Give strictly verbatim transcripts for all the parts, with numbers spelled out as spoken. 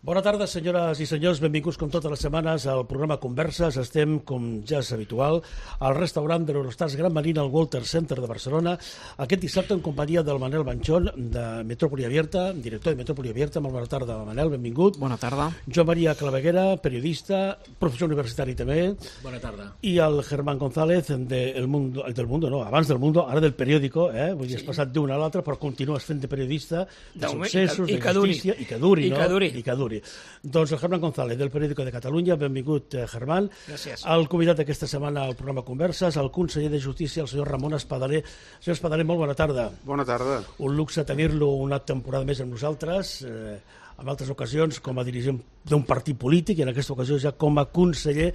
Bona tarda, senyores i senyors. Benvinguts, com totes les setmanes, al programa Converses. Estem, com ja és habitual, al restaurant de l'Eurostars Gran Marina, al Walter Center de Barcelona, aquest dissabte en companyia del Manel Banchón, de Metrópoli Abierta, director de Metrópoli Abierta. Molt bona tarda, Manel, benvingut. Bona tarda. Joan Maria Claveguera, periodista, professor universitari també. Bona tarda. I el Germán González, de El Mundo, del Mundo, no, abans del Mundo, ara del periòdico, eh? Vull dir, sí. Has passat d'una a l'altra, però continues fent de periodista, de successos, de justícia, i que duri, no? I que duri. I que duri. Doncs el Germán González, del Periódico de Catalunya. Benvingut, eh, Germán. Gràcies. El convidat d'aquesta setmana al programa Converses, el conseller de Justícia, el senyor Ramon Espadaler. Senyor Espadaler, molt bona tarda. Bona tarda. Un luxe tenir-lo una temporada més amb nosaltres, eh, en altres ocasions com a dirigent d'un partit polític i en aquesta ocasió ja com a conseller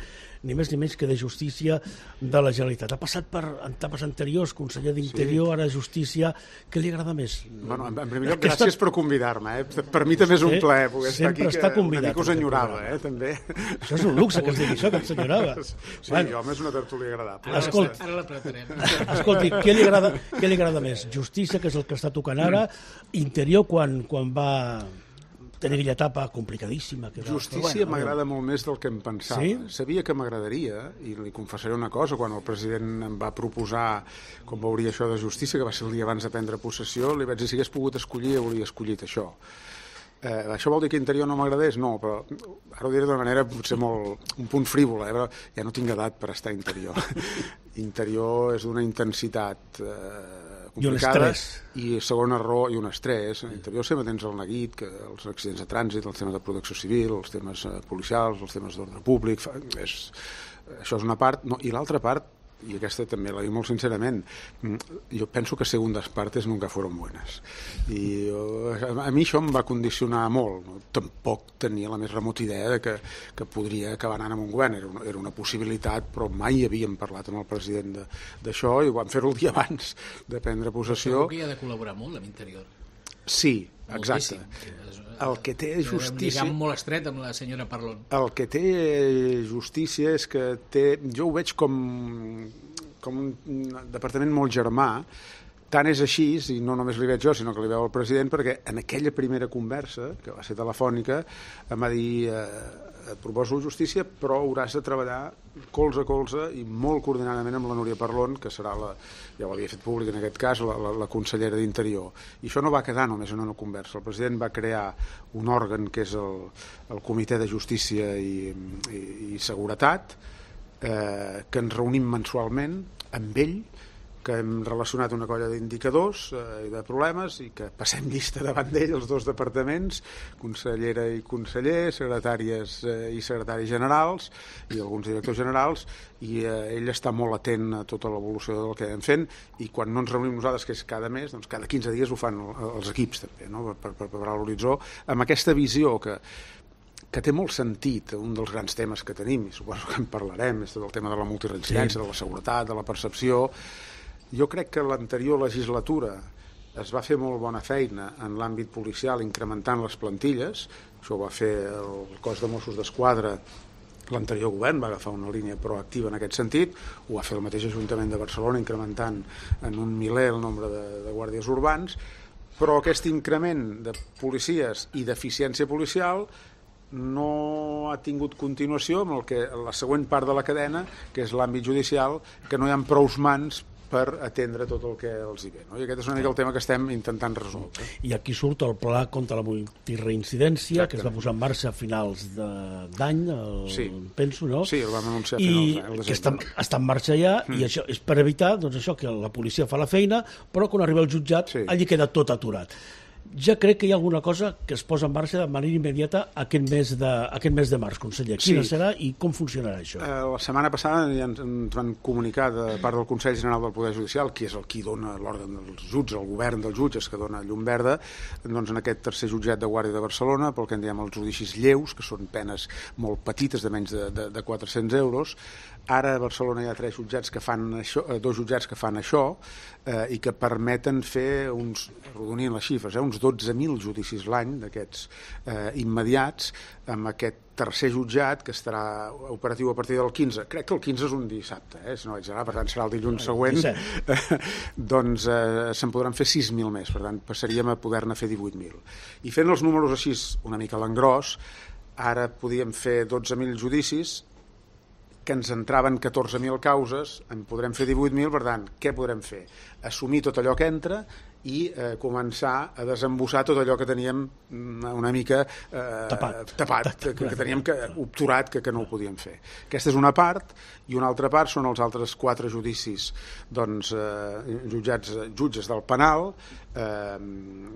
ni més ni menys que de Justícia de la Generalitat. Ha passat per etapes anteriors, conseller d'Interior, sí. Ara Justícia. Què li agrada més? Bueno, en primer lloc, gràcies per convidar-me. Eh? Per mi també és un plaer poder estar aquí, està que una mica us enyorava, eh? també. Això és un luxe que es digui això, que ens enyorava. Sí, bueno. Home, és una tertúlia agradable. Escolta, ara l'apretarem. Escolti, què li agrada, què li agrada més? Justícia, que és el que està tocant ara, Interior, quan, quan va tenir aquella etapa complicadíssima. Que Justícia bueno, m'agrada molt més del que em pensava. Sí? Sabia que m'agradaria, i li confessaré una cosa, quan el president em va proposar com veuria això de Justícia, que va ser el dia abans de prendre possessió, li vaig dir si hagués pogut escollir, hauria escollit això. Eh, això vol dir que Interior no m'agradés? No, però ara ho diré d'una manera potser molt, un punt frívola, eh? Però ja no tinc edat per estar a Interior. Interior és d'una intensitat eh, complicada i segona raó, i un estrès. En Interior sempre tens el neguit, que els accidents de trànsit, els temes de protecció civil, els temes eh, policials, els temes d'ordre públic, fa, és, això és una part, no, i l'altra part, i aquesta també la dic molt sincerament, jo penso que segundas partes nunca fueron buenas. I jo, a mi això em va condicionar molt. No? Tampoc tenia la més remota idea de que, que podria acabar anant amb un govern. Era una, era una possibilitat, però mai havíem parlat amb el president d'això i ho vam fer el dia abans de prendre possessió. Segur que hi ha de col·laborar molt amb Interior. Sí, exacte. El que té justícia... Un lligam molt estret amb la senyora Parlon. El que té justícia és que té... Jo ho veig com, com un departament molt germà. Tant és així, i no només li veig jo, sinó que li veu el president, perquè en aquella primera conversa, que va ser telefònica, em va dir... Eh, et proposo justícia, però hauràs de treballar colze a colze i molt coordinadament amb la Núria Parlon, que serà la, ja ho havia fet públic en aquest cas, la, la, la consellera d'Interior. I això no va quedar només en una conversa. El president va crear un òrgan que és el, el Comitè de Justícia i, i, i Seguretat, eh, que ens reunim mensualment amb ell, que hem relacionat una colla d'indicadors i eh, de problemes i que passem llista davant d'ell els dos departaments, consellera i conseller, secretàries eh, i secretaris generals i alguns directors generals, i eh, ell està molt atent a tota l'evolució del que anem fent, i quan no ens reunim nosaltres, que és cada mes, doncs cada quinze dies ho fan els equips també, no? per, per preparar l'horitzó, amb aquesta visió que que té molt sentit, un dels grans temes que tenim, i suposo que en parlarem, és tot el tema de la multireincidència, sí. De la seguretat, de la percepció. Jo crec que l'anterior legislatura es va fer molt bona feina en l'àmbit policial incrementant les plantilles. Això ho va fer el cos de Mossos d'Esquadra. L'anterior govern va agafar una línia proactiva en aquest sentit. Ho va fer el mateix Ajuntament de Barcelona, incrementant en un miler el nombre de, de guàrdies urbans. Però aquest increment de policies i d'eficiència policial no ha tingut continuació amb el que, la següent part de la cadena, que és l'àmbit judicial, que no hi ha prous mans per atendre tot el que els hi ve. No? I aquest és una mica el tema que estem intentant resoldre. I aquí surt el pla contra la multireincidència, que es va posar en marxa a finals d'any, sí. penso, no? Sí, el vam anunciar a finals d'any. I que està, està en marxa ja, mm. i això és per evitar doncs, això que la policia fa la feina, però quan arriba el jutjat, sí. Allí queda tot aturat. Ja crec que hi ha alguna cosa que es posa en marxa de manera immediata aquest mes de, aquest mes de març, conseller. Quina sí. serà i com funcionarà això? Eh, la setmana passada ja ens, ens van comunicar de part del Consell General del Poder Judicial, qui és el qui dona l'òrgan dels jutges, el govern dels jutges que dona llum verda, doncs en aquest tercer jutjat de Guàrdia de Barcelona, pel que en diem els judicis lleus, que són penes molt petites, de menys de, de, de quatre-cents euros. Ara a Barcelona hi ha tres jutjats que fan això, dos jutjats que fan això, eh, i que permeten fer uns, arrodonint les xifres, eh, uns uns dotze mil judicis l'any d'aquests eh, immediats, amb aquest tercer jutjat que estarà operatiu a partir del quinze. Crec que el quinze és un dissabte, eh, si no vaig anar, per tant serà el dilluns següent. Doncs eh, se'n podran fer sis mil més, per tant passaríem a poder-ne fer divuit mil. I fent els números així una mica a l'engròs, ara podíem fer dotze mil judicis, que ens entraven catorze mil causes, en podrem fer divuit mil, per tant, què podrem fer? Assumir tot allò que entra i eh, començar a desembossar tot allò que teníem una mica eh, tapat, tapat que, que teníem que, obturat, que, que no ho podíem fer. Aquesta és una part, i una altra part són els altres quatre judicis, doncs, eh, jutjats, jutges del penal, eh,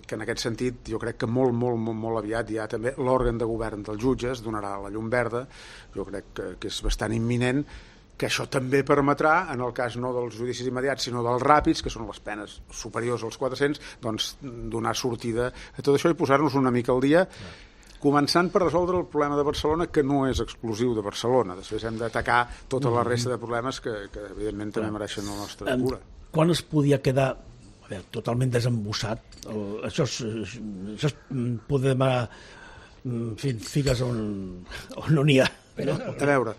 que en aquest sentit jo crec que molt, molt, molt, molt aviat ja també l'òrgan de govern dels jutges donarà la llum verda, jo crec que, que és bastant imminent, que això també permetrà, en el cas no dels judicis immediats, sinó dels ràpids, que són les penes superiors als quatre-cents, doncs donar sortida a tot això i posar-nos una mica al dia, començant per resoldre el problema de Barcelona, que no és exclusiu de Barcelona. Després hem d'atacar tota la resta de problemes que, que evidentment, també mereixen la nostra cura. Quan es podia quedar a veure, totalment desembossat? El, això és, això és poder demanar figues on, on no n'hi ha. Però, a veure,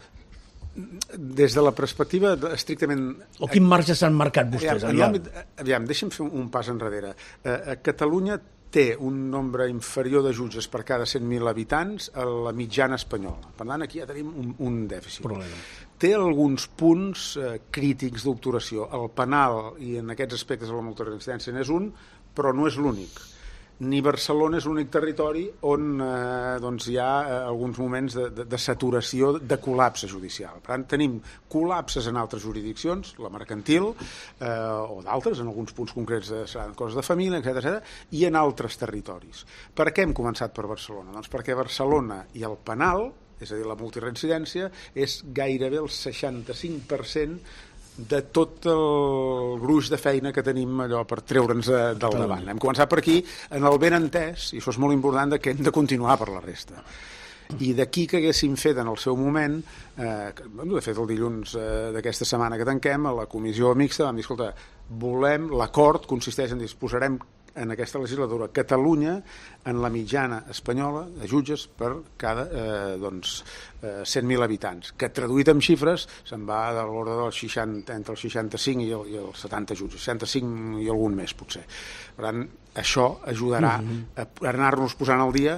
des de la perspectiva estrictament... O quin marge s'han marcat vostès? Aviam, aviam, aviam deixa'm fer un pas enrere. A Catalunya té un nombre inferior de jutges per cada cent mil habitants a la mitjana espanyola. Per tant, aquí ja tenim un, un dèficit. Problema. Té alguns punts eh, crítics d'obturació. El penal, i en aquests aspectes la multireincidència n'és un, però no és l'únic. Ni Barcelona és l'únic territori on eh, doncs hi ha eh, alguns moments de, de, de saturació, de col·lapse judicial. Per tant, tenim col·lapses en altres jurisdiccions, la mercantil, eh, o d'altres, en alguns punts concrets de coses de família, etcètera, etcètera, i en altres territoris. Per què hem començat per Barcelona? Doncs perquè Barcelona i el penal, és a dir, la multireincidència, és gairebé el seixanta-cinc per cent de tot el gruix de feina que tenim allò per treure'ns del davant. Hem començat per aquí, en el ben entès, i això és molt important, que hem de continuar per la resta. I d'aquí que haguéssim fet en el seu moment, eh, de fet el dilluns eh, d'aquesta setmana que tanquem, a la comissió mixta vam dir, escolta, volem, l'acord consisteix en disposarem en aquesta legislatura Catalunya en la mitjana espanyola de jutges per cada eh, doncs, eh, cent mil habitants, que traduït en xifres se'n va de l'ordre dels seixanta, entre els seixanta-cinc i, el, i els setanta jutges, seixanta-cinc i algun més potser. Per tant, això ajudarà a anar-nos posant al dia,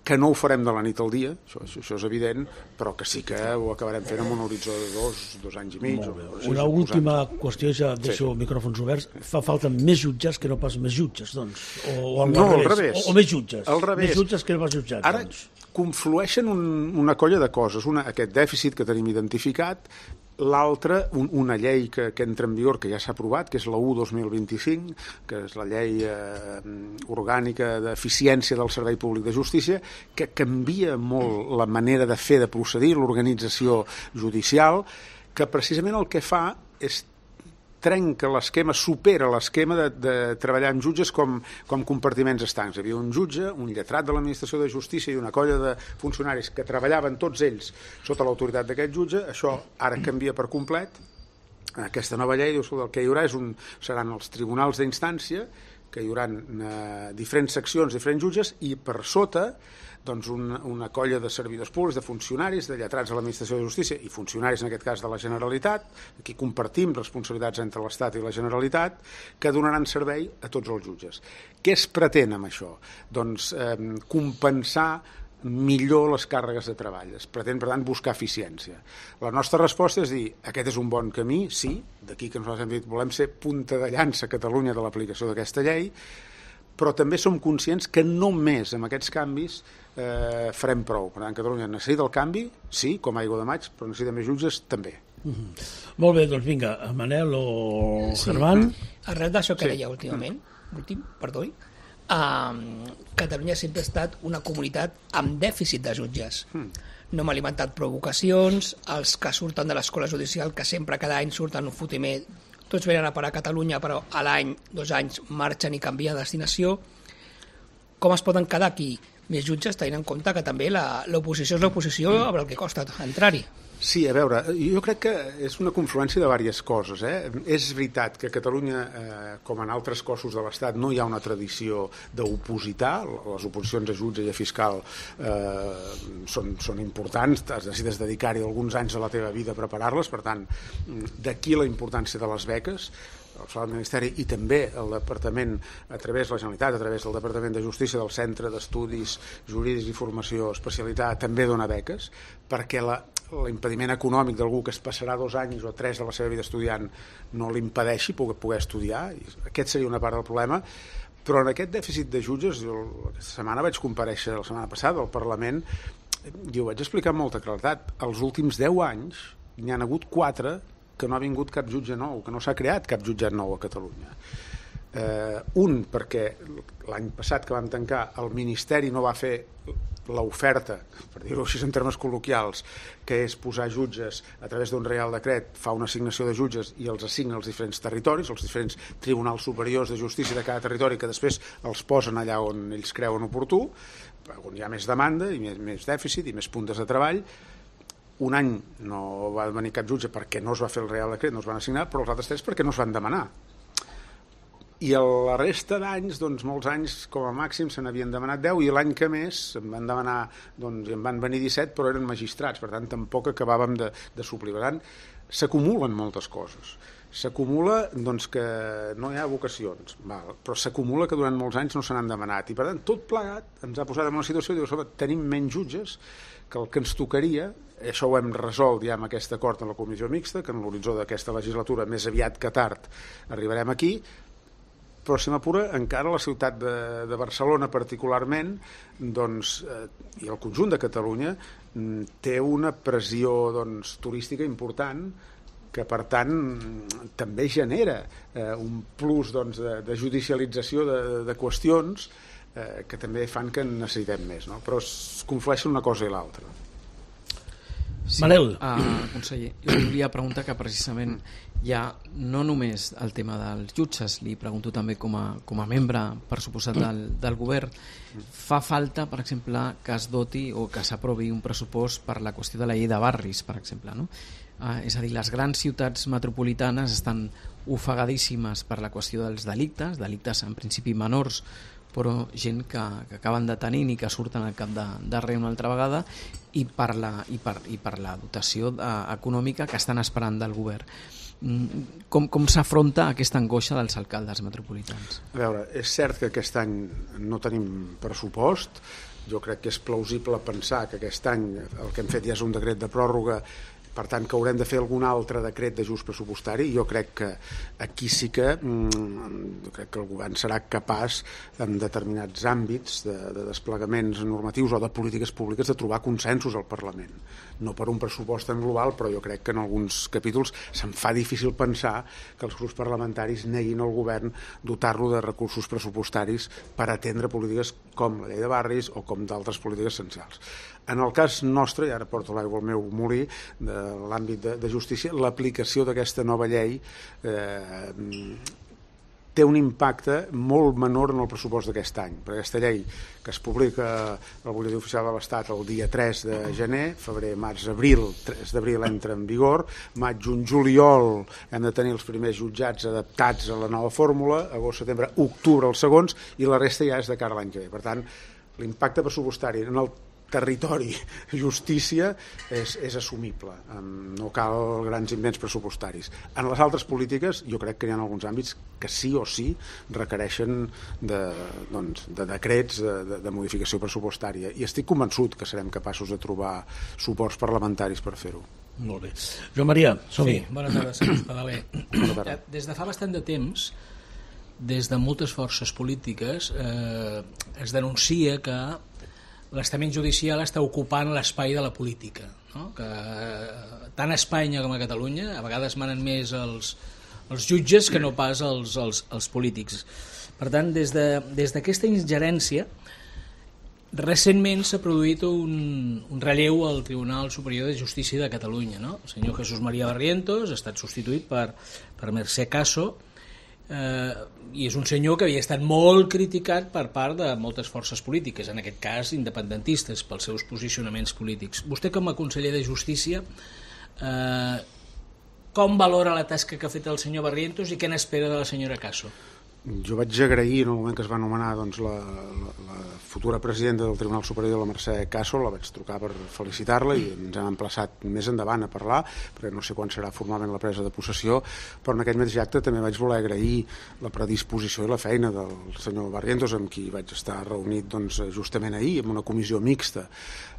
que no ho farem de la nit al dia, això, això és evident, però que sí que ho acabarem fent amb un horitzó de dos, dos anys i mig. O, o sis, una última qüestió, ja deixo sí. micròfons oberts. Fa falta més jutges que no pas més jutges, doncs? O, o al no, revés. al revés. O, o més jutges. Al revés. Més jutges que no pas jutjats. Ara doncs. conflueixen un, una colla de coses. Una, aquest dèficit que tenim identificat, l'altra, un, una llei que, que entra en vigor, que ja s'ha aprovat, que és la u dos mil vint-i-cinc, que és la llei eh, orgànica d'eficiència del Servei Públic de Justícia, que canvia molt la manera de fer, de procedir, l'organització judicial, que precisament el que fa és trenca l'esquema, supera l'esquema de, de treballar amb jutges com, com compartiments estancs. Hi havia un jutge, un lletrat de l'Administració de Justícia i una colla de funcionaris que treballaven tots ells sota l'autoritat d'aquest jutge. Això ara canvia per complet. Aquesta nova llei diu que el que hi haurà és un, seran els tribunals d'instància, que hi haurà eh, diferents seccions, diferents jutges, i per sota doncs una, una colla de servidors públics, de funcionaris, de lletrats de l'Administració de Justícia i funcionaris, en aquest cas, de la Generalitat, aquí compartim responsabilitats entre l'Estat i la Generalitat, que donaran servei a tots els jutges. Què es pretén amb això? Doncs eh, compensar millor les càrregues de treball. Es pretén, per tant, buscar eficiència. La nostra resposta és dir, aquest és un bon camí, sí, d'aquí que nosaltres hem dit, volem ser punta de llança a Catalunya de l'aplicació d'aquesta llei, però també som conscients que només amb aquests canvis eh, farem prou. Per tant, Catalunya necessita el canvi, sí, com aigua de maig, però necessita més jutges, també. Mm-hmm. Molt bé, doncs vinga, Manel o sí. Germán. Arrel d'això que sí. deia últimament, mm. últim, perdó, uh, Catalunya sempre ha estat una comunitat amb dèficit de jutges. Mm. No hem alimentat provocacions, els que surten de l'escola judicial, que sempre cada any surten un fotimer, tots venen a parar a Catalunya, però a l'any, dos anys, marxen i canvien de destinació. Com es poden quedar aquí? més jutges, tenint en compte que també la- l'oposició és l'oposició amb el que costa entrar-hi. Sí, a veure, jo crec que és una confluència de diverses coses. Eh? És veritat que a Catalunya, eh, com en altres cossos de l'Estat, no hi ha una tradició d'opositar. Les oposicions a jutge i a fiscal eh, són, són importants, necessites dedicar-hi alguns anys de la teva vida a preparar-les, per tant, d'aquí la importància de les beques. El Ministeri i també el Departament, a través de la Generalitat, a través del Departament de Justícia, del Centre d'Estudis Jurídics i Formació Especialitat, també dona beques, perquè la, l'impediment econòmic d'algú que es passarà dos anys o tres de la seva vida estudiant no l'impedeixi poder, poder estudiar. Aquest seria una part del problema. Però en aquest dèficit de jutges, jo aquesta setmana vaig comparèixer, la setmana passada, al Parlament, i ho vaig explicar amb molta claredat. Els últims deu anys n'hi han hagut quatre que no ha vingut cap jutge nou, que no s'ha creat cap jutjat nou a Catalunya. Eh, un, perquè l'any passat que vam tancar, el Ministeri no va fer l'oferta, per dir-ho així en termes col·loquials, que és posar jutges a través d'un reial decret, fa una assignació de jutges i els assigna als diferents territoris, als diferents tribunals superiors de justícia de cada territori, que després els posen allà on ells creuen oportú, on hi ha més demanda i més, més dèficit i més puntes de treball. Un any no va venir cap jutge perquè no es va fer el reial decret, no es van assignar, però els altres tres perquè no es van demanar. I la resta d'anys, doncs molts anys com a màxim se n'havien demanat deu, i l'any que més em van demanar, doncs en van venir disset, però eren magistrats, per tant tampoc acabàvem de, de suplir. Per tant, s'acumulen moltes coses. S'acumula doncs, que no hi ha vocacions, val, però s'acumula que durant molts anys no se n'han demanat, i per tant tot plegat ens ha posat en una situació de dir, tenim menys jutges que el que ens tocaria. Això ho hem resolt ja amb aquest acord en la comissió mixta, que en l'horitzó d'aquesta legislatura, més aviat que tard, arribarem aquí, però si m'apura, encara la ciutat de, de Barcelona particularment, doncs, eh, i el conjunt de Catalunya, té una pressió doncs, turística important, que per tant també genera eh, un plus doncs, de, de judicialització de, de qüestions eh, que també fan que en necessitem més, no? Però es conflueixen una cosa i l'altra. Sí, Manel. Uh, conseller, jo volia preguntar que precisament hi ha no només el tema dels jutges, li pregunto també com a, com a membre, per suposat, del, del govern, fa falta, per exemple, que es doti o que s'aprovi un pressupost per la qüestió de la llei de barris, per exemple, no? Uh, és a dir, les grans ciutats metropolitanes estan ofegadíssimes per la qüestió dels delictes, delictes en principi menors, però gent que, que acaben detenint i que surten al cap de, darrere una altra vegada, i per la, i per, i per la dotació de, econòmica que estan esperant del govern. Com, com s'afronta aquesta angoixa dels alcaldes metropolitans? A veure, és cert que aquest any no tenim pressupost. Jo crec que és plausible pensar que aquest any el que hem fet ja és un decret de pròrroga, per tant que haurem de fer algun altre decret d'ajust pressupostari. Jo crec que aquí sí que mm, crec que el govern serà capaç en determinats àmbits de, de desplegaments normatius o de polítiques públiques de trobar consensos al Parlament. No per un pressupost en global, però jo crec que en alguns capítols se'm fa difícil pensar que els grups parlamentaris neguin al govern dotar-lo de recursos pressupostaris per atendre polítiques com la llei de barris o com d'altres polítiques essencials. En el cas nostre, i ara porto l'aigua al meu molí, de l'àmbit de, de justícia, l'aplicació d'aquesta nova llei eh, té un impacte molt menor en el pressupost d'aquest any. Per aquesta llei, que es publica al Butlletí Oficial de l'Estat el dia tres de gener, febrer, març, abril, tres d'abril entra en vigor, maig, juny, juliol hem de tenir els primers jutjats adaptats a la nova fórmula, agost, setembre, octubre els segons, i la resta ja és de cara a l'any que ve. Per tant, l'impacte pressupostari en el territori, justícia, és, és assumible. No cal grans invents pressupostaris. En les altres polítiques, jo crec que hi ha alguns àmbits que sí o sí requereixen de, doncs, de decrets de, de, de modificació pressupostària. I estic convençut que serem capaços de trobar suports parlamentaris per fer-ho. Molt bé. Joan Maria, som-hi. Sí, bona tarda, senyor Espadaler. Des de fa bastant de temps, des de moltes forces polítiques, eh, es denuncia que l'estament judicial està ocupant l'espai de la política, no? Que tant a Espanya com a Catalunya a vegades manen més els, els jutges que no pas els, els, els polítics. Per tant, des de, des d'aquesta ingerència, recentment s'ha produït un, un relleu al Tribunal Superior de Justícia de Catalunya, no? El senyor Jesús María Barrientos ha estat substituït per, per Mercè Caso, eh, i és un senyor que havia estat molt criticat per part de moltes forces polítiques, en aquest cas independentistes, pels seus posicionaments polítics. Vostè, com a conseller de Justícia, eh, com valora la tasca que ha fet el senyor Barrientos i què n'espera de la senyora Caso? Jo vaig agrair en el moment que es va nomenar doncs, la, la, la futura presidenta del Tribunal Superior, la Mercè Caso, la vaig trucar per felicitar-la i ens hem emplaçat més endavant a parlar, perquè no sé quan serà formalment la presa de possessió, però en aquell mateix acte també vaig voler agrair la predisposició i la feina del senyor Barrientos, amb qui vaig estar reunit doncs, justament ahir, en una comissió mixta.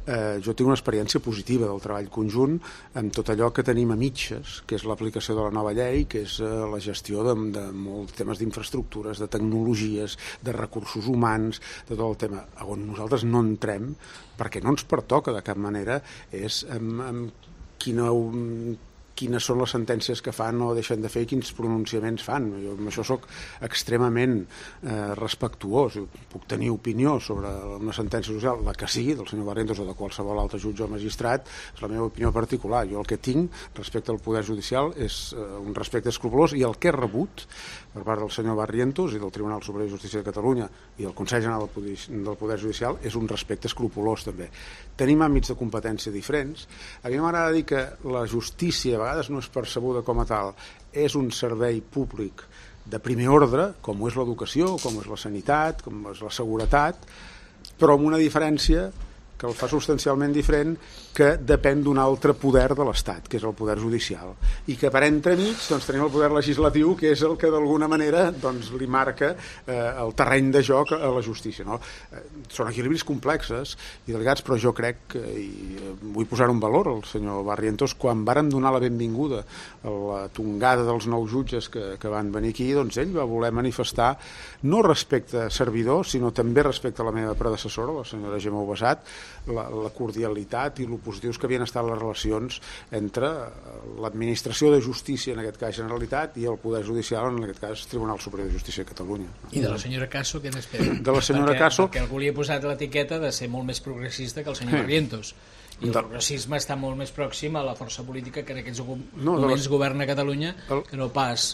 Eh, jo tinc una experiència positiva del treball conjunt amb tot allò que tenim a mitges, que és l'aplicació de la nova llei, que és eh, la gestió de, de molts temes d'infraestructures, de tecnologies, de recursos humans, de tot el tema. On nosaltres no entrem, perquè no ens pertoca de cap manera, és amb, amb quina... quines són les sentències que fan o deixen de fer i quins pronunciaments fan. Jo amb això sóc extremament eh, respectuós. Puc tenir opinió sobre una sentència social, la que sigui, del senyor Barrientos o de qualsevol altre jutge o magistrat, és la meva opinió particular. Jo el que tinc respecte al poder judicial és eh, un respecte escrupolós, i el que he rebut per part del senyor Barrientos i del Tribunal Superior de Justícia de Catalunya i del Consell General del Poder Judicial és un respecte escrupolós també. Tenim àmbits de competència diferents. A mi m'agrada dir que la justícia a vegades no és percebuda com a tal, és un servei públic de primer ordre, com ho és l'educació, com ho és la sanitat, com és la seguretat, però amb una diferència que el fa substancialment diferent, que depèn d'un altre poder de l'Estat, que és el poder judicial, i que per entremig doncs, tenim el poder legislatiu, que és el que d'alguna manera doncs, li marca eh, el terreny de joc a la justícia. No? Eh, són equilibris complexes i delicats, però jo crec que, i eh, vull posar un valor al senyor Barrientos, quan vàrem donar la benvinguda a la tongada dels nous jutges que, que van venir aquí, doncs ell va voler manifestar no respecte a servidor, sinó també respecte a la meva predecessora, la senyora Gemma Ubasat, la, la cordialitat i el positius que havien estat les relacions entre l'administració de justícia, en aquest cas Generalitat, i el Poder Judicial, en aquest cas Tribunal Superior de Justícia de Catalunya. I de la senyora Caso, què n'espera? De la senyora perquè, Caso... Perquè algú li ha posat l'etiqueta de ser molt més progressista que el senyor Barrientos. I el de... progressisme està molt més pròxim a la força política que en aquests no, moments la... governa Catalunya el... que no pas...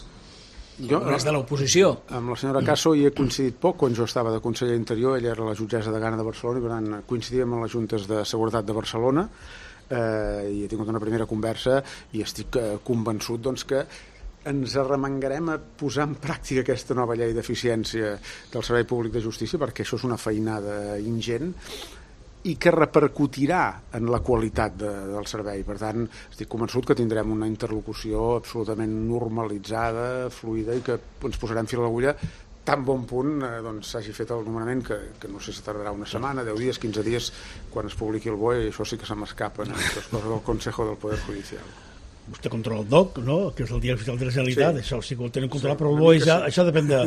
Jo, no és de l'oposició. Amb la senyora Caso hi he coincidit poc quan jo estava de conseller Interior, ella era la jutgessa de Gana de Barcelona, i per tant coincidíem en les juntes de seguretat de Barcelona, eh, i he tingut una primera conversa i estic eh, convençut doncs, que ens arremangarem a posar en pràctica aquesta nova llei d'eficiència del Servei Públic de Justícia, perquè això és una feinada ingent i que repercutirà en la qualitat de, del servei. Per tant, estic convençut que tindrem una interlocució absolutament normalitzada, fluida, i que ens posarem fil a l'agulla tan bon punt eh, doncs, s'hagi fet el nomenament, que, que no sé si tardarà una setmana, deu dies, quinze dies, quan es publiqui el B O E, i això sí que se m'escapa, no? Aquestes coses del Consejo del Poder Judicial. Vostè controla el D O C, no? Que és el Diari Oficial de la Generalitat, sí. Això sí que ho tenen controlat, sí, però el B O E ja, sí. Això depèn de,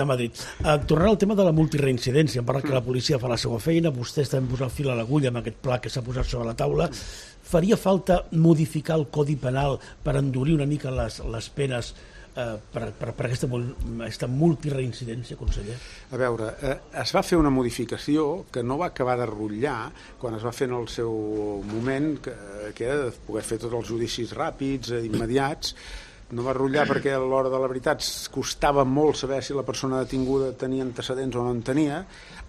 de Madrid. Uh, tornant al tema de la multireincidència, em parla mm. que la policia fa la seva feina, vostè està posant fil a l'agulla amb aquest pla que s'ha posat sobre la taula. Faria falta modificar el Codi Penal per endurir una mica les, les penes Uh, per, per, per aquesta, aquesta multireincidència, conseller? A veure, eh, es va fer una modificació que no va acabar de rotllar quan es va fer en el seu moment, que, que era de poder fer tots els judicis ràpids, eh, immediats. No va rotllar perquè a l'hora de la veritat costava molt saber si la persona detinguda tenia antecedents o no en tenia.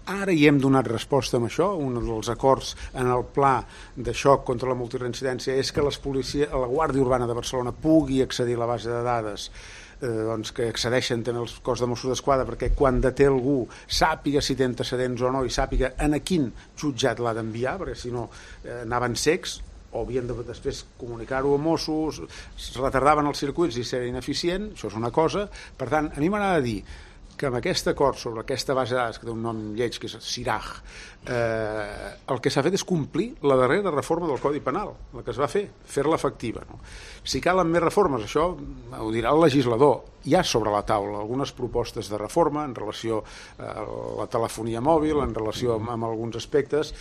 Ara hi hem donat resposta amb això. Un dels acords en el pla de xoc contra la multireincidència és que les policia, la Guàrdia Urbana de Barcelona pugui accedir a la base de dades eh, doncs que accedeixen també els cos de Mossos d'Esquadra, perquè quan deté algú sàpiga si té antecedents o no i sàpiga en a quin jutjat l'ha d'enviar, perquè si no eh, anaven cecs o havien de després comunicar-ho a Mossos, es retardaven els circuits i era ineficient. Això és una cosa. Per tant, a mi m'agrada dir que amb aquest acord sobre aquesta base de dades, que té un nom lleig, que és CIRAG, eh, el que s'ha fet és complir la darrera reforma del Codi Penal, la que es va fer, fer-la efectiva. No? Si calen més reformes, això ho dirà el legislador. Hi ha sobre la taula algunes propostes de reforma en relació a la telefonia mòbil, en relació amb, amb alguns aspectes.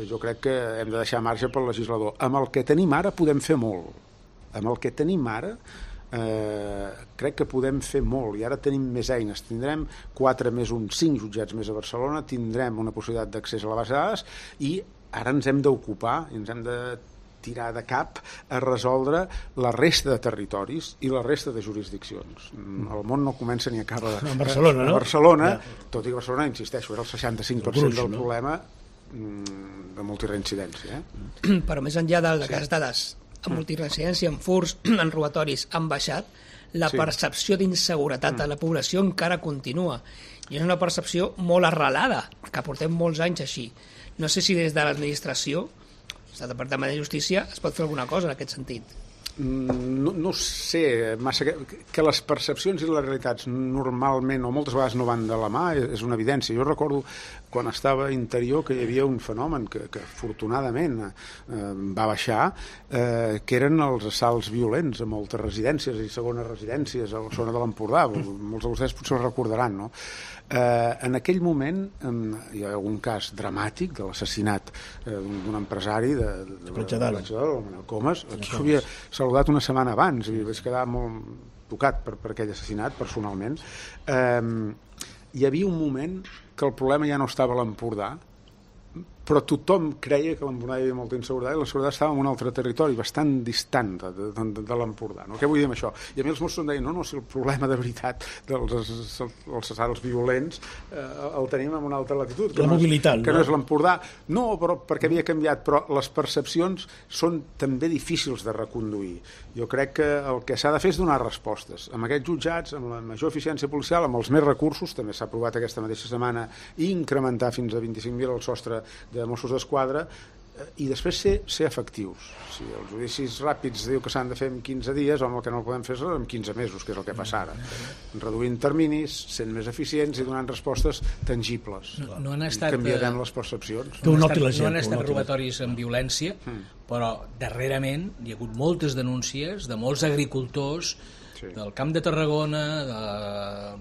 Jo crec que hem de deixar marge pel legislador. Amb el que tenim ara podem fer molt. Amb el que tenim ara Eh, crec que podem fer molt, i ara tenim més eines. Tindrem quatre més un, cinc jutjats més a Barcelona, tindrem una possibilitat d'accés a la base de dades, i ara ens hem d'ocupar, ens hem de tirar de cap a resoldre la resta de territoris i la resta de jurisdiccions. El món no comença ni acaba de... A Barcelona, no? A Barcelona, tot i que Barcelona, insisteixo, era el seixanta-cinc per cent del problema de multireincidència. Eh? Però més enllà de que les dades en multireincidència, en furs, en robatoris han baixat, la Sí. percepció d'inseguretat de la població encara continua. I és una percepció molt arrelada, que portem molts anys així. No sé si des de l'administració, des del Departament de Justícia, es pot fer alguna cosa en aquest sentit. No, no sé massa que, que les percepcions i les realitats normalment o moltes vegades no van de la mà, és una evidència. Jo recordo quan estava a Interior que hi havia un fenomen que, que afortunadament eh, va baixar, eh, que eren els assalts violents a moltes residències i segones residències a la zona de l'Empordà. Molts de vostès potser ho recordaran, no? Eh, en aquell moment eh, hi ha algun cas dramàtic de l'assassinat eh, d'un empresari de, de, de, Platja d'Aro, el Manel Comas. Aquí s'havia saludat una setmana abans i vaig quedar molt tocat per, per aquell assassinat personalment. Eh, hi havia un moment que el problema ja no estava a l'Empordà, però tothom creia que a l'Empordà hi havia molta inseguretat i la seguretat estava en un altre territori bastant distant de, de, de, de l'Empordà. No? Què vull dir amb això? I a mi els Mossos em deien, no, no, si el problema de veritat dels els assalts violents eh, el tenim en una altra latitud. La no mobilitat, és, que no? no és l'Empordà. No, però perquè havia canviat, però les percepcions són també difícils de reconduir. Jo crec que el que s'ha de fer és donar respostes. Amb aquests jutjats, amb la major eficiència policial, amb els més recursos, també s'ha aprovat aquesta mateixa setmana, i incrementar fins a vint-i-cinc mil el sostre de Mossos d'Esquadra, i després ser, ser efectius. Si els judicis ràpids diu que s'han de fer en quinze dies, home, el que no el podem fer és en quinze mesos, que és el que passa ara. Reduint terminis, sent més eficients i donant respostes tangibles. No, no han estat, I canviarem les percepcions. Que ho no han noti estat, la gent, no han que ho estat noti la robatoris amb violència, però darrerament hi ha hagut moltes denúncies de molts agricultors Sí. del Camp de Tarragona, de,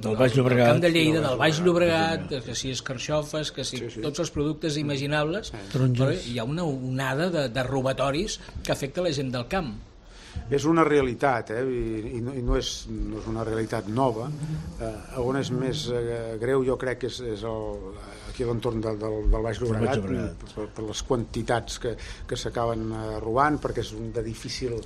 Del Baix Llobregat. del Camp de Lleida, Del del Baix Baix Llobregat, que si escarxofes, que si Sí, sí. tots els productes imaginables, Taronges. però hi ha una onada de, de robatoris que afecta la gent del camp. És una realitat, eh? I, i, no, i no, és, no és una realitat nova. Eh, on és més eh, greu, jo crec que és, és el, aquí a l'entorn del, del, del Baix Llobregat, Llobregat. per, per les quantitats que, que s'acaben eh, robant, perquè és un de difícil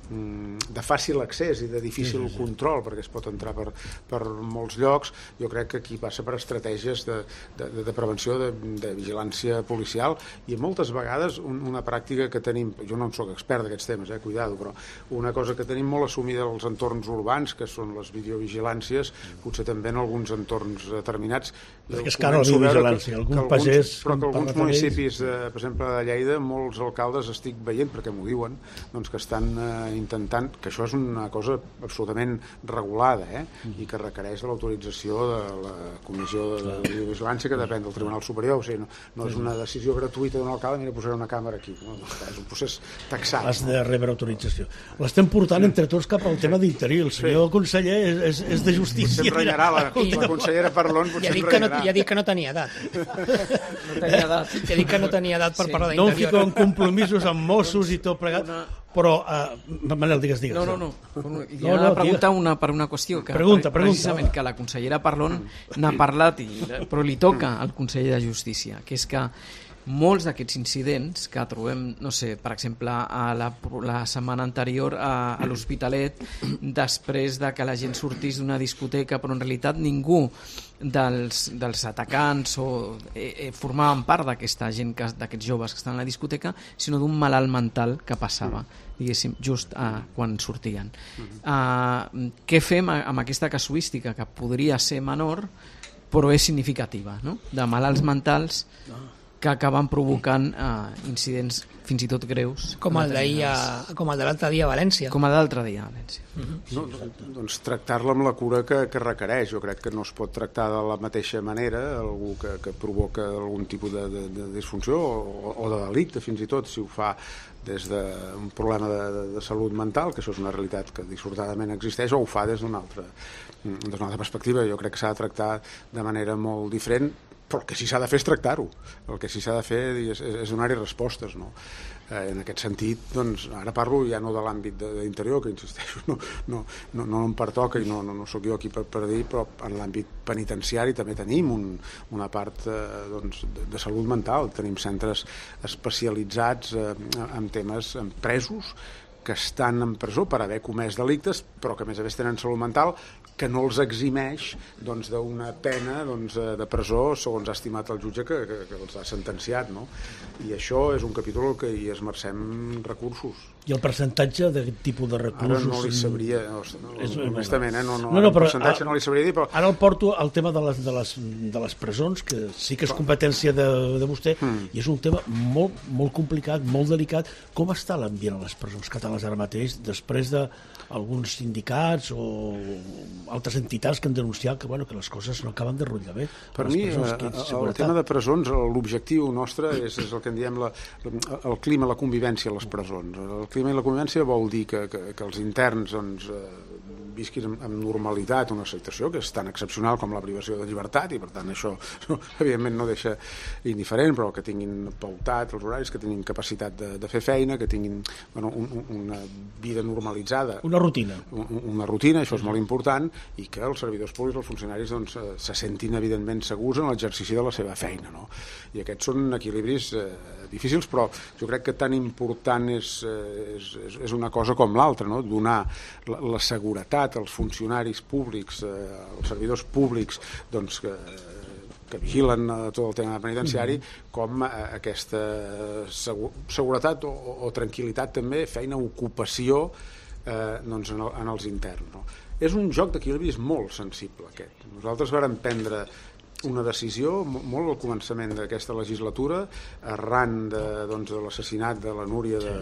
de fàcil accés i de difícil sí, sí, sí. control, perquè es pot entrar per, per molts llocs. Jo crec que aquí passa per estratègies de, de, de prevenció, de, de vigilància policial, i moltes vegades un, una pràctica que tenim, jo no en soc expert d'aquests temes, eh, cuidado, però una cosa que tenim molt assumida als entorns urbans, que són les videovigilàncies, potser també en alguns entorns determinats. Perquè és cara la videovigilància, que, algun que alguns, pagès... però que alguns parla municipis, de, per exemple, de Lleida, molts alcaldes estic veient, perquè m'ho diuen, doncs que estan eh, intentant, que això és una cosa absolutament regulada, eh? I que requereix de l'autorització de la Comissió de Vigilància, que depèn del Tribunal Superior. O sigui, no, no és una decisió gratuïta d'un alcalde, mira, posaré una càmera aquí. No? És un procés taxat. Has de rebre autorització. L'estem portant entre tots cap al tema d'interior. El senyor sí. conseller és, és, és de justícia. Potser em renyarà la, la consellera Parlon, potser ja em dic que no, renyarà. ja dic que no tenia edat. No tenia edat. Ja dic que no tenia edat per Sí. parlar No em d'interior. fico en compromisos amb Mossos i tot plegat, Una- però... Uh, Manel, digues, digues. No, no, no. Hi No, ha una no, pregunta una, per una qüestió que Pregunta, pregunta. precisament que la consellera Parlon n'ha parlat, i, però li toca al conseller de Justícia, que és que molts d'aquests incidents que trobem, no sé, per exemple, a la, la setmana anterior a, a l'Hospitalet, després de que la gent sortís d'una discoteca, però en realitat ningú dels, dels atacants o eh, eh, formaven part d'aquesta gent, que, d'aquests joves que estan a la discoteca, sinó d'un malalt mental que passava, diguéssim, just uh, quan sortien. Uh, què fem amb aquesta casuística, que podria ser menor, però és significativa, no? De malalts mentals que acaben provocant uh, incidents fins i tot greus. Com el d'ahir, a- com el de l'altre dia a València. Com a d'altre dia, a València. No, doncs tractar-la amb la cura que, que requereix. Jo crec que no es pot tractar de la mateixa manera algú que, que provoca algun tipus de, de, de disfunció o, o de delicte, fins i tot, si ho fa des d'un problema de, de, de salut mental, que això és una realitat que dissortadament existeix, o ho fa des d'una altra, des d'una altra perspectiva. Jo crec que s'ha de tractar de manera molt diferent, però el que sí s'ha de fer és tractar-ho, el que sí s'ha de fer és, és donar-hi respostes, no? Eh, en aquest sentit, doncs, ara parlo ja no de l'àmbit d'interior, que insisteixo, no, no, no, no em pertoca i no, no, no sóc jo aquí per, per dir, però en l'àmbit penitenciari també tenim un, una part eh, doncs, de, de salut mental, tenim centres especialitzats eh, en temes, en presos que estan en presó per haver comès delictes, però que a més a més tenen salut mental, que no els eximeix doncs, d'una pena doncs, de presó segons ha estimat el jutge que, que, que els ha sentenciat, no? I això és un capítol que hi esmercem recursos. I el percentatge d'aquest tipus de recursos... Ara no li sabria, no, és, honestament, eh? no, no, no, no, el percentatge ara, no li sabria dir, però... Ara el porto al tema de les, de les, de les presons, que sí que és competència de, de vostè, mm. i és un tema molt, molt complicat, molt delicat. Com està l'ambient a les presons catalanes ara mateix, després d'alguns sindicats o altres entitats que han denunciat que, bueno, que les coses no acaben de rotllar bé? Per mi, presons, el tema de presons, l'objectiu nostre és, és el que en diem la, el clima, la convivència a les presons. El clima i la convivència vol dir que, que, que els interns doncs, visquin amb normalitat una situació que és tan excepcional com la privació de llibertat, i per tant això evidentment no deixa indiferent, però que tinguin pautat els horaris, que tinguin capacitat de, de fer feina, que tinguin bueno, un, una vida normalitzada. Una rutina. Una rutina, això és molt important, i que els servidors públics, els funcionaris, doncs, se sentin evidentment segurs en l'exercici de la seva feina, no? I aquests són equilibris eh, difícils, però jo crec que tan important és, és, és una cosa com l'altra, no? Donar la, la seguretat als funcionaris públics, eh, als servidors públics, doncs, que, que vigilen tot el tema penitenciari, mm-hmm. com eh, aquesta segur, seguretat o, o tranquil·litat també, feina, ocupació eh, doncs en, el, en els interns, no? És un joc d'equilibris molt sensible aquest. Nosaltres vàrem prendre una decisió molt al començament d'aquesta legislatura, arran de, doncs, de l'assassinat de la Núria de,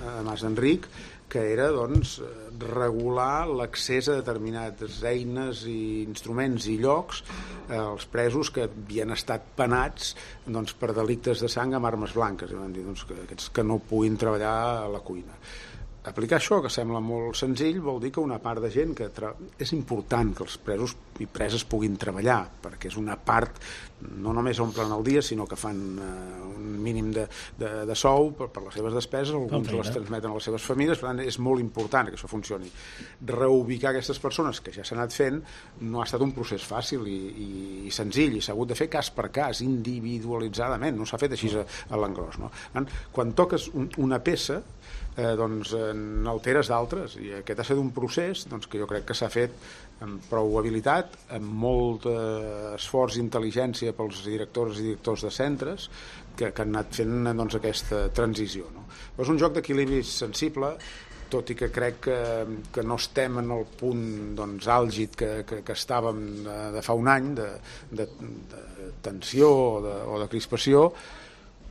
de Mas Enric, que era doncs, regular l'accés a determinades eines i instruments i llocs eh, als presos que havien estat penats doncs, per delictes de sang amb armes blanques, i van dir doncs, que aquests que no puguin treballar a la cuina. Aplicar això, que sembla molt senzill, vol dir que una part de gent que... Tra... És important que els presos i preses puguin treballar, perquè és una part, no només omplen el dia, sinó que fan uh, un mínim de, de, de sou per, per les seves despeses, alguns les transmeten a les seves famílies, per tant és molt important que això funcioni. Reubicar aquestes persones, que ja s'ha anat fent, no ha estat un procés fàcil i, i, i senzill, i s'ha hagut de fer cas per cas, individualitzadament, no s'ha fet així a, a l'engròs, no? Quan toques un, una peça, Eh, doncs eh, n'alteres d'altres, i aquest ha estat un procés doncs, que jo crec que s'ha fet amb prou habilitat, amb molt eh, esforç i intel·ligència pels directors i directors de centres que, que han anat fent doncs, aquesta transició, no? Però és un joc d'equilibri sensible, tot i que crec que, que no estem en el punt doncs, àlgid que, que, que estàvem de, de fa un any de, de, de tensió o de, o de crispació.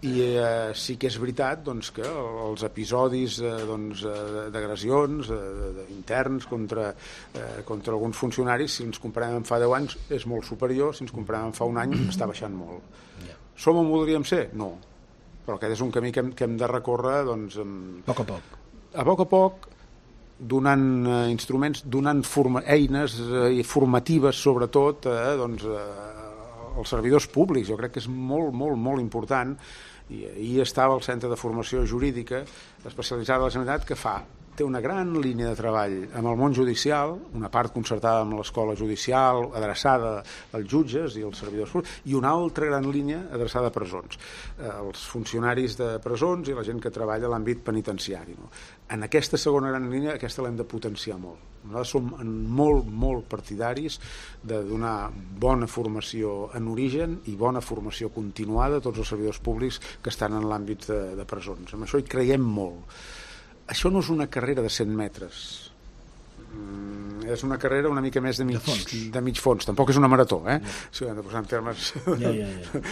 I eh, sí que és veritat doncs, que els episodis eh, doncs, d'agressions eh, interns contra, eh, contra alguns funcionaris, si ens comparem amb fa deu anys, és molt superior, si ens comparem amb fa un any, està baixant molt. Yeah. Som on voldríem ser? No. Però aquest és un camí que hem, que hem de recórrer doncs, amb... a poc a poc. A poc a poc, donant eh, instruments, donant forma, eines eh, formatives, sobretot, eh, doncs, eh, els servidors públics. Jo crec que és molt, molt, molt important, i ahir estava al Centre de Formació Jurídica especialitzada de la Generalitat, que fa té una gran línia de treball amb el món judicial, una part concertada amb l'escola judicial, adreçada als jutges i als servidors públics, i una altra gran línia adreçada a presons, eh, els funcionaris de presons i la gent que treballa a l'àmbit penitenciari, no? En aquesta segona gran línia, aquesta l'hem de potenciar molt. Nosaltres som molt, molt partidaris de donar bona formació en origen i bona formació continuada a tots els servidors públics que estan en l'àmbit de, de presons. En això hi creiem molt. Això no és una carrera de cent metres. Mm, és una carrera una mica més de mig, de fons. De mig fons. Tampoc és una marató, eh? Ja. Si ho hem de posar en termes... Ja, ja, ja.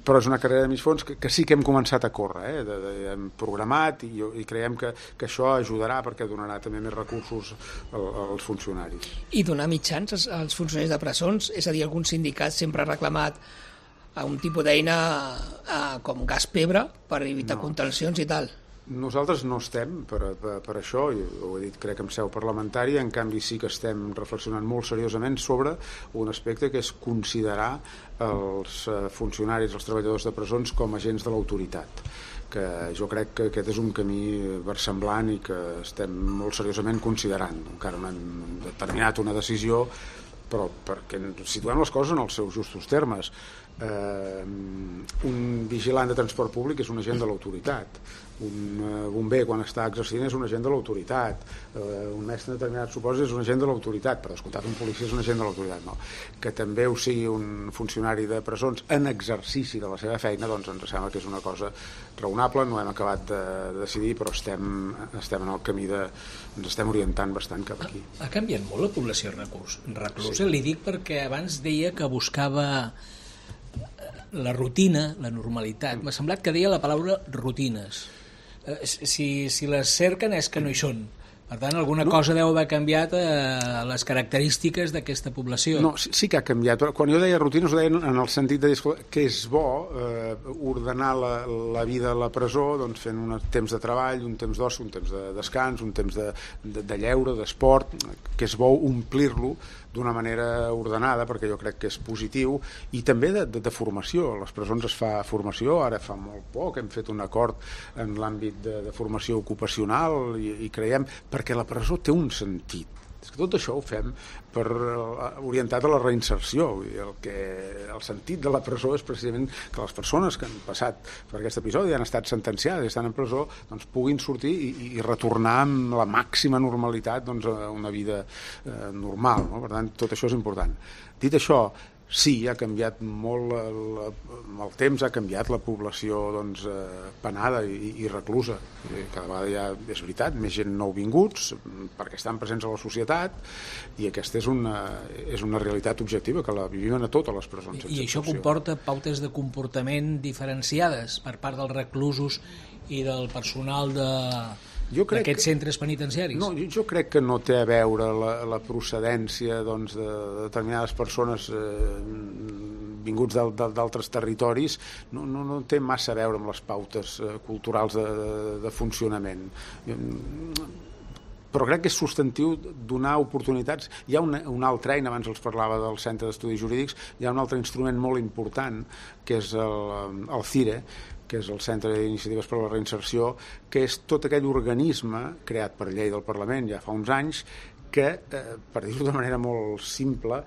Però és una carrera de mig fons que, que sí que hem començat a córrer, eh? De, de, hem programat i, i creiem que, que això ajudarà perquè donarà també més recursos al, als funcionaris. I donar mitjans als, als funcionaris de presons? És a dir, algun sindicat sempre ha reclamat a un tipus d'eina com gas pebre per evitar no. contencions i tal? Nosaltres no estem per, per, per això, i ho he dit crec en seu parlamentària, en canvi sí que estem reflexionant molt seriosament sobre un aspecte que és considerar els funcionaris, els treballadors de presons com agents de l'autoritat, que jo crec que aquest és un camí versemblant i que estem molt seriosament considerant. Encara no hem determinat una decisió, però perquè situem les coses en els seus justos termes. Eh, un vigilant de transport públic és un agent de l'autoritat, un bomber quan està exercint és un agent de l'autoritat, eh, un mestre en determinats supòsits és un agent de l'autoritat, per descomptat un policia és un agent de l'autoritat, no. Que també ho sigui un funcionari de presons en exercici de la seva feina, doncs ens sembla que és una cosa raonable, no hem acabat de decidir, però estem, estem en el camí de... ens estem orientant bastant cap aquí. Ha, ha canviat molt la població reclusa, sí. Li dic perquè abans deia que buscava la rutina, la normalitat. M'ha semblat que deia la paraula rutines. Si, si les cerquen és que no hi són. Per tant, alguna no. cosa deu haver canviat a les característiques d'aquesta població. No, sí, sí que ha canviat. Quan jo deia rutines ho deia en el sentit de dir que és bo eh, ordenar la, la vida a la presó doncs fent un temps de treball, un temps d'oci, un temps de descans, un temps de, de, de lleure, d'esport, que és bo omplir-lo d'una manera ordenada, perquè jo crec que és positiu, i també de, de, de formació. A les presons es fa formació, ara fa molt poc hem fet un acord en l'àmbit de, de formació ocupacional i, i creiem, perquè la presó té un sentit. És que tot això ho fem per, orientat a la reinserció. El, que, el sentit de la presó és precisament que les persones que han passat per aquest episodi han estat sentenciades i estan en presó doncs, puguin sortir i, i retornar amb la màxima normalitat doncs, a una vida eh, normal. No? Per tant, tot això és important. Dit això, sí, ha canviat molt el, el temps, ha canviat la població doncs, eh, penada i, i reclusa. Cada vegada ja és veritat, més gent nouvinguts perquè estan presents a la societat i aquesta és una, és una realitat objectiva que la vivim a totes les presons. I, i això comporta pautes de comportament diferenciades per part dels reclusos i del personal de... d'aquests centres penitenciaris? No, jo, jo crec que no té a veure la, la procedència doncs, de, de determinades persones eh, vinguts d'altres territoris, no, no, no té massa a veure amb les pautes eh, culturals de, de, de funcionament. Però crec que és substantiu donar oportunitats. Hi ha una, una altra eina, abans els parlava del Centre d'Estudis Jurídics, hi ha un altre instrument molt important, que és el, el CIRE, que és el Centre d'Iniciatives per a la Reinserció, que és tot aquell organisme creat per llei del Parlament ja fa uns anys que, eh, per dir-ho de manera molt simple,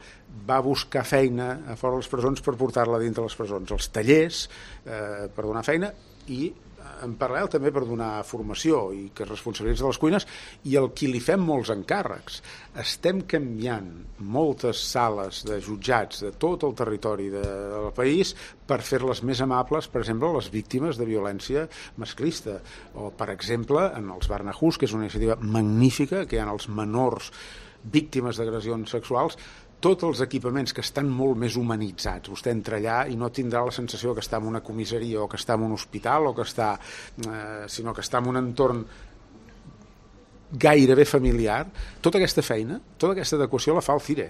va buscar feina a fora de les presons per portar-la dintre les presons. Els tallers eh, per donar feina i en paral·lel també per donar formació i que es responsabilitzi de les cuines i el qui li fem molts encàrrecs. Estem canviant moltes sales de jutjats de tot el territori de, del país per fer-les més amables, per exemple, a les víctimes de violència masclista. O, per exemple, en els Barnahus, que és una iniciativa magnífica, que hi ha els menors víctimes d'agressions sexuals, tots els equipaments que estan molt més humanitzats. Vostè entra allà i no tindrà la sensació que està en una comissaria o que està en un hospital o que està, eh, sinó que està en un entorn gairebé familiar. Tota aquesta feina, tota aquesta adequació la fa el CIRE.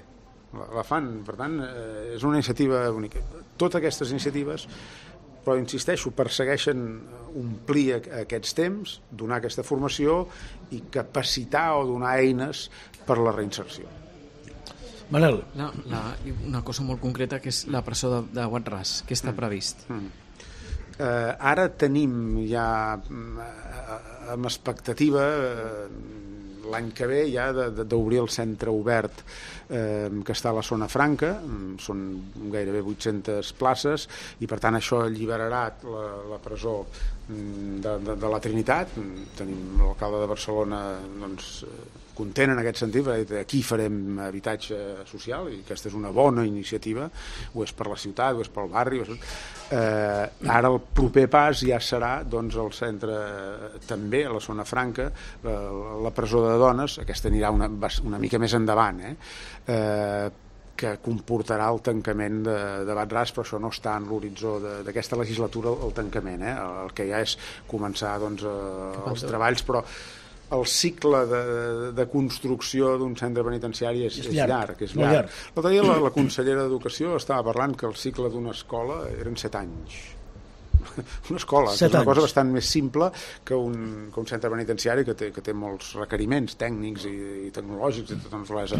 La, la fan, per tant, eh, és una iniciativa única. Totes aquestes iniciatives, però insisteixo, persegueixen omplir aquests temps, donar aquesta formació i capacitar o donar eines per a la reinserció. Manel. La, la, una cosa molt concreta que és la presó de, de Wad-Ras, que està previst. Mm. Mm. Eh, ara tenim ja amb expectativa eh, l'any que ve ja d'obrir el centre obert eh, que està a la zona franca, són gairebé vuit-centes places i per tant això alliberarà la, la presó de, de, de la Trinitat. Tenim l'alcalde de Barcelona doncs, content en aquest sentit, perquè aquí farem habitatge social i aquesta és una bona iniciativa, ho és per la ciutat, ho és pel barri. És... Eh, ara el proper pas ja serà doncs, el centre també a la zona franca, la, la presó de dones, aquesta anirà una, una mica més endavant, eh? Eh, que comportarà el tancament de, de Wad-Ras, però això no està en l'horitzó d'aquesta legislatura el tancament, eh? El que ja és començar doncs, eh, els treballs, però el cicle de, de construcció d'un centre penitenciari és, és, és llarg, llarg, és llarg. llarg. L'altre dia la, la consellera d'Educació estava parlant que el cicle d'una escola eren set anys. una escola, Set que és una anys. cosa bastant més simple que un, que un centre penitenciari que té, que té molts requeriments tècnics i, i tecnològics i tota naturalesa.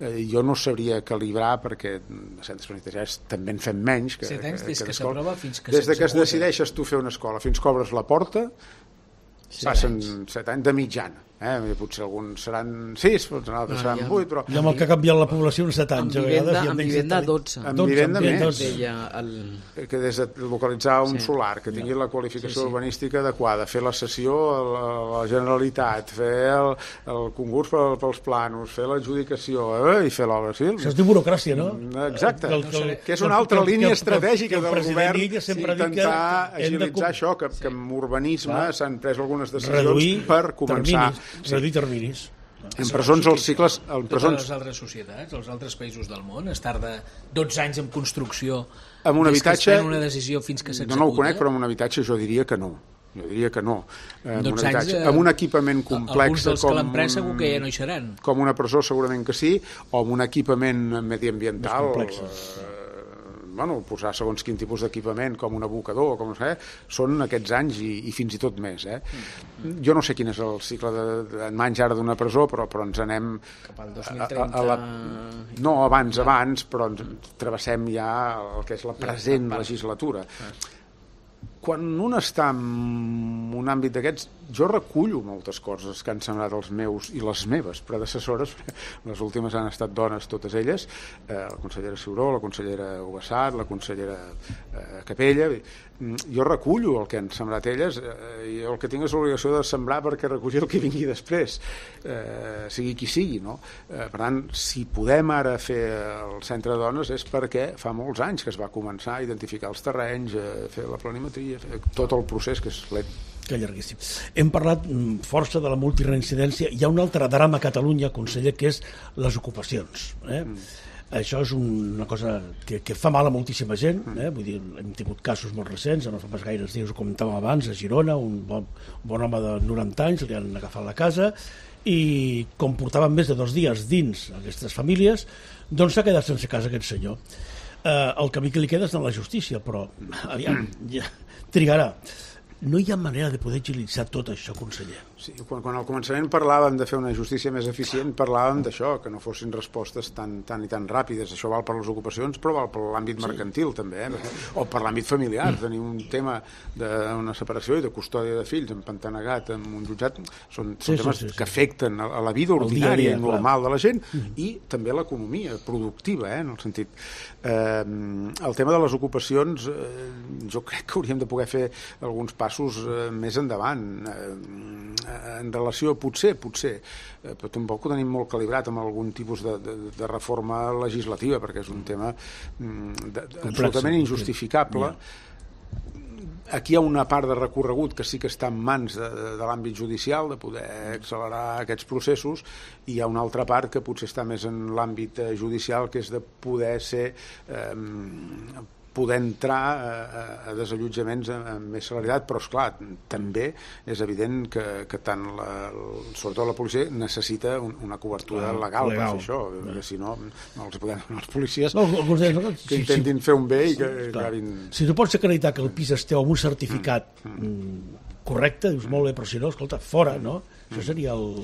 Eh, jo no sabria calibrar perquè de centres penitenciaris també en fem menys que, Set anys que, des que d'escola. s'aprova fins que des de que es s'executa. decideixes tu fer una escola fins que obres la porta passen set anys de mitjana. Eh? Potser alguns seran sis, potser altres Ah, seran ja. vuit, però I amb el que ha canviat la població en set anys, Amb a vegades... vivenda, i amb menys vivenda de- dotze. Amb dotze, vivenda amb més. dotze. Deia el... que des de localitzar un Sí. solar, que tingui la qualificació Sí, sí. urbanística adequada, fer la cessió a la, a la Generalitat, fer el, el concurs per, pels planos, fer l'adjudicació eh? i fer l'obra civil. Això es diu burocràcia, no? Exacte, Que el- que el- que és una altra que el- línia que el- estratègica que el del president govern Illa sempre ha dit que intentar hem de agilitzar com- això, que, que amb urbanisme Clar. s'han pres algunes decisions Reduir per començar. terminis. Reduir terminis. En presons els cicles... En Totes presons, les altres societats, els altres països del món, es tarda dotze anys en construcció Amb un des habitatge- que es pren una decisió fins que no, s'executa. no ho conec, però amb un habitatge jo diria que no. Jo diria que no. Eh, Amb un, dotze anys, habitatge, eh, amb un equipament complex alguns dels com, que l'han pres segur que ja no hi seran. com una presó segurament que sí, o amb un equipament mediambiental, Més complexes. eh, bueno, posar segons quin tipus d'equipament, com un abocador, com no sé, són aquests anys i, i fins i tot més. Eh? Mm. Jo no sé quin és el cicle de, de menys ara d'una presó, però, però ens anem... Cap al dos a, mil a, trenta... a la, no, abans, abans, però ens travessem ja el que és la present legislatura. Quan un està en un àmbit d'aquests, jo recullo moltes coses que han semblat els meus i les meves predecessores, les últimes han estat dones totes elles, eh, la consellera Ciuró, la consellera Ugassat, la consellera eh, Capella. Jo recullo el que han sembrat elles eh, i el que tinc és l'obligació de sembrar perquè recollir el que vingui després, eh, sigui qui sigui, no? Eh, per tant, si podem ara fer el centre de dones és perquè fa molts anys que es va començar a identificar els terrenys, eh, fer la planimetria, fer tot el procés que és lent. Que llarguíssim. Hem parlat mm, força de la multireincidència. Hi ha un altre drama a Catalunya, conseller, que és les ocupacions. Eh? Mm. Això és una cosa que, que fa mal a moltíssima gent. Eh? Vull dir, hem tingut casos molt recents, no fa pas gaires dies ho comentàvem abans, a Girona, un bon, un bon home de noranta anys, li han agafat la casa i com portaven més de dos dies dins aquestes famílies, doncs s'ha quedat sense casa aquest senyor. Eh, el camí que li queda és anar a la justícia, però aviam, ja, trigarà. No hi ha manera de poder agilitzar tot això, conseller. Sí, quan, quan al començament parlàvem de fer una justícia més eficient, parlàvem d'això, que no fossin respostes tan, tan i tan ràpides. Això val per les ocupacions, però val per l'àmbit mercantil, sí. també, eh? O per l'àmbit familiar. Mm. Tenir un tema d'una separació i de custòdia de fills empantanegat en un jutjat són, són Sí, temes sí, sí, sí. que afecten a, a la vida El dia a ordinària dia, i normal clar. de la gent mm. i també l'economia productiva, eh? En el sentit... Eh, el tema de les ocupacions, eh, jo crec que hauríem de poder fer alguns passos eh, més endavant. Eh, en relació, potser, potser, eh, però tampoc ho tenim molt calibrat amb algun tipus de, de, de reforma legislativa, perquè és un tema mm, de, de, absolutament injustificable. Aquí hi ha una part de recorregut que sí que està en mans de, de, de l'àmbit judicial, de poder accelerar aquests processos, i hi ha una altra part que potser està més en l'àmbit eh, judicial, que és de poder ser... Eh, poder entrar a, a desallotjaments amb més celeritat, però esclar, també és evident que, que tant la, sobretot la policia necessita un, una cobertura Clar, legal, legal per fer això, perquè si no, no els podem donar als policies No, alguns deien, no, que si- intentin fer un bé i que Clar. acabin... Si tu pots acreditar que el pis esteu amb un certificat mm. correcte, dius molt bé, però si no, escolta, fora, no? Això seria el,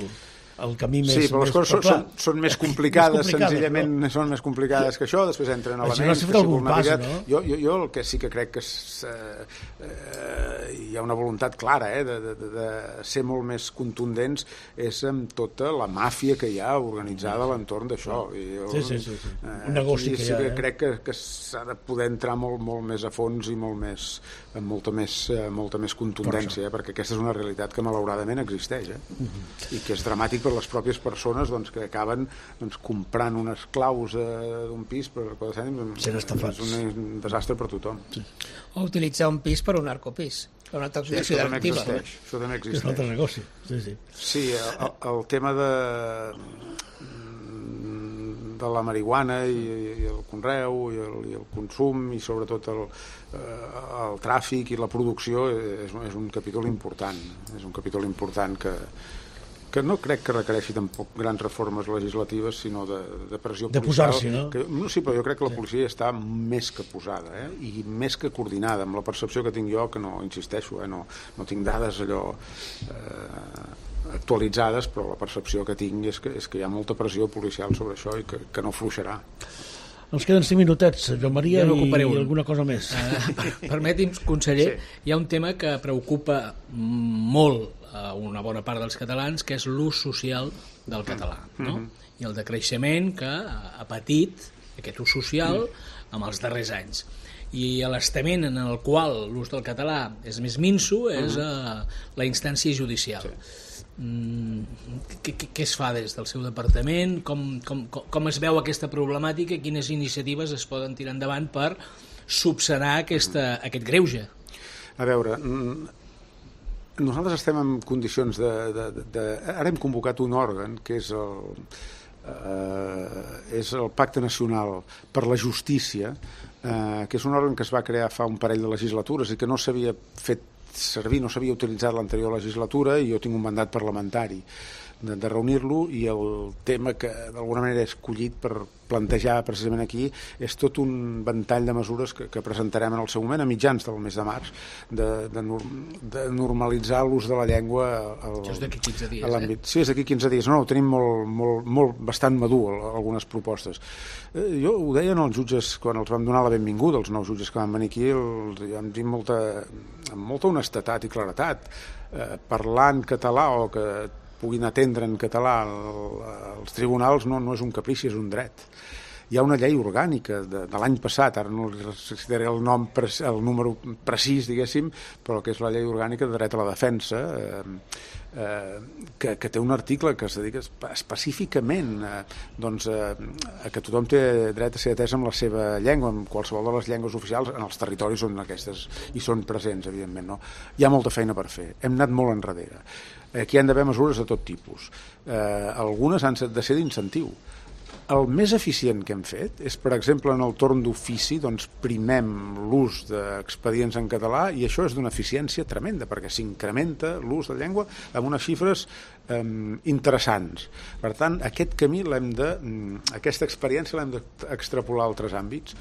el camí més... Sí, però les més, coses són, clar, són, són més complicades, més complicades, senzillament no? són més complicades que això, després entren Això elements... no s'ha fet que algun una pas, mica- no? Jo, jo, jo el que sí que crec que és, eh, eh, hi ha una voluntat clara eh, de, de, de ser molt més contundents és amb tota la màfia que hi ha organitzada a l'entorn d'això. I jo, Sí, sí, sí, sí. eh, Un negoci aquí que sí hi ha, que eh? crec que, que s'ha de poder entrar molt, molt més a fons i molt més, amb molta més, eh, molta més contundència, eh, perquè aquesta és una realitat que malauradament existeix eh? Mhm. i que és dramàtic per les pròpies persones doncs, que acaben doncs, comprant unes claus eh, d'un pis per quatre cèntims. Sent estafats. És un, un desastre per tothom. Sí, O utilitzar un pis per un narcopís, per una això taxació també delictiva. existeix. Això també És un existeix. altre negoci. Sí, sí. Sí, el, el tema de de la marihuana i, i el conreu i el, i el consum i sobretot el, eh, el tràfic i la producció és, és un capítol important és un capítol important que, que no crec que requereixi tampoc grans reformes legislatives, sinó de, de pressió de policial. De posar-s'hi, no? Que, no, sí, però jo crec que la policia sí. està més que posada, eh? I més que coordinada, amb la percepció que tinc jo, que no, insisteixo, eh? no, no tinc dades allò eh, actualitzades, però la percepció que tinc és que, és que hi ha molta pressió policial sobre això i que, que no fluixarà. Ens queden cinc minutets, Joan Maria, i, i alguna cosa més. Uh, Permeti'm, conseller, sí. Hi ha un tema que preocupa molt a una bona part dels catalans, que és l'ús social del català, no? Mm-hmm. I el decreixement que ha patit aquest ús social amb els darrers anys. I l'estament en el qual l'ús del català és més minso és uh, la instància judicial. Sí. Què, què, què es fa des del seu departament? Com, com, com es veu aquesta problemàtica i quines iniciatives es poden tirar endavant per subsanar aquesta, aquest greuge? A veure, nosaltres estem en condicions de, de, de, de... Ara hem convocat un òrgan que és el, eh, és el Pacte Nacional per la Justícia, eh, que és un òrgan que es va crear fa un parell de legislatures i que no s'havia fet servir, no s'havia utilitzat l'anterior legislatura i jo tinc un mandat parlamentari de, de reunir-lo i el tema que d'alguna manera he escollit per plantejar precisament aquí és tot un ventall de mesures que, que presentarem en el seu moment a mitjans del mes de març de, de, de normalitzar l'ús de la llengua al, Això és d'aquí quinze dies, a l'àmbit. Eh? Sí, és d'aquí quinze dies. No, no, ho tenim molt, molt, molt, bastant madur, algunes propostes. Eh, jo ho deien els jutges quan els vam donar la benvinguda, els nous jutges que van venir aquí, els, vam dir molta, amb molta honestedat i claretat, eh, parlant català o que puguin atendre en català els tribunals no, no és un caprici, és un dret. Hi ha una llei orgànica de, de l'any passat, ara no citaré el nom, el número precís, diguéssim, però que és la llei orgànica de dret a la defensa, eh, eh, que, que té un article que es dedica específicament eh, doncs, eh, a que tothom té dret a ser atès amb la seva llengua, amb qualsevol de les llengües oficials, en els territoris on aquestes hi són presents, evidentment. No? Hi ha molta feina per fer, hem anat molt enrere. Aquí han d'haver mesures de tot tipus. Eh, algunes han de ser d'incentiu. El més eficient que hem fet és, per exemple, en el torn d'ofici, doncs primem l'ús d'expedients en català i això és d'una eficiència tremenda perquè s'incrementa l'ús de llengua amb unes xifres eh, interessants. Per tant, aquest camí l'hem de, aquesta experiència l'hem d'extrapolar a altres àmbits.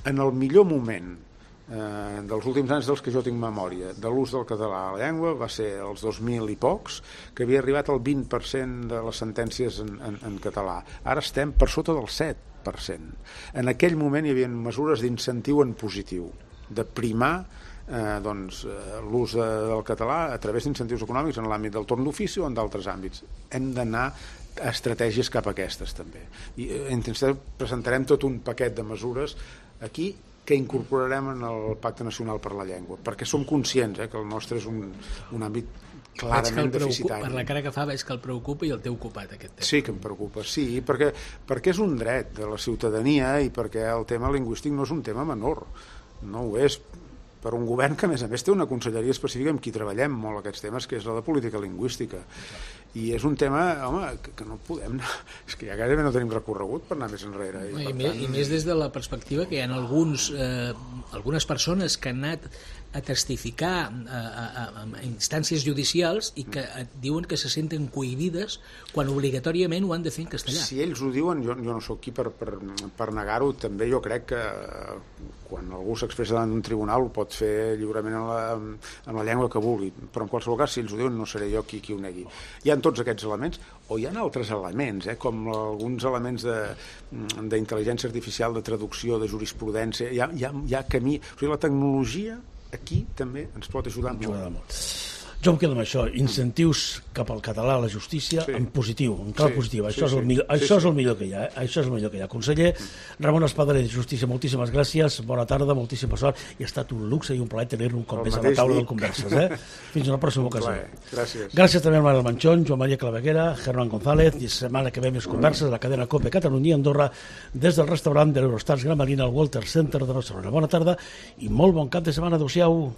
En el millor moment Eh, dels últims anys dels que jo tinc memòria de l'ús del català a la llengua va ser els dos mil i pocs, que havia arribat al vint per cent de les sentències en, en, en català. Ara estem per sota del set per cent. En aquell moment hi havia mesures d'incentiu en positiu, de primar eh, doncs, l'ús de, del català a través d'incentius econòmics en l'àmbit del torn d'ofici o en d'altres àmbits. Hem d'anar a estratègies cap a aquestes també. I eh, presentarem tot un paquet de mesures aquí que incorporarem en el Pacte Nacional per la Llengua, perquè som conscients eh, que el nostre és un, un àmbit clarament deficitari. Per la cara que fa veig que el preocupa i el té ocupat aquest tema. Sí que em preocupa, sí, perquè, perquè és un dret de la ciutadania i perquè el tema lingüístic no és un tema menor, no ho és per un govern que a més a més té una conselleria específica amb qui treballem molt aquests temes, que és la de política lingüística. I és un tema, home, que, que no podem anar, és que ja gairebé no tenim recorregut per anar més enrere. I, I, per més, tant... I més des de la perspectiva que hi ha alguns, eh, algunes persones que han anat a testificar a, a, a instàncies judicials i que et diuen que se senten cohibides quan obligatòriament ho han de fer en castellà. Si ells ho diuen, jo, jo no sóc qui per, per, per negar-ho. També jo crec que quan algú s'expressa davant d'un tribunal ho pot fer lliurement en la, en la llengua que vulgui, però en qualsevol cas si ells ho diuen no seré jo qui, qui ho negui. Hi ha tots aquests elements, o hi ha altres elements, eh, com alguns elements d'intel·ligència artificial, de traducció, de jurisprudència, hi ha, hi ha, hi ha camí. O sigui, la tecnologia aquí també ens pot ajudar molt. molt. Jo em quedo amb això, incentius cap al català a la justícia sí. en positiu, en clau sí, positiu. Això, sí, és, el millor, sí, això sí. és el millor que hi ha. Eh? Això és el millor que hi ha. Conseller Ramon Espadaler de Justícia, moltíssimes gràcies, bona tarda, moltíssima sort, i ha estat un luxe i un plaer tenir-lo un cop el més a la taula del Converses. Eh? Fins a una pròxima ocasió. Gràcies. Gràcies també a Manuel Manchón, Joan Maria Claveguera, Germán González, i setmana que ve més converses a la cadena COPE Catalunya i Andorra des del restaurant de l'Eurostars Gran Marina al Walter Center de Barcelona. Bona tarda i molt bon cap de setmana. Adéu-siau.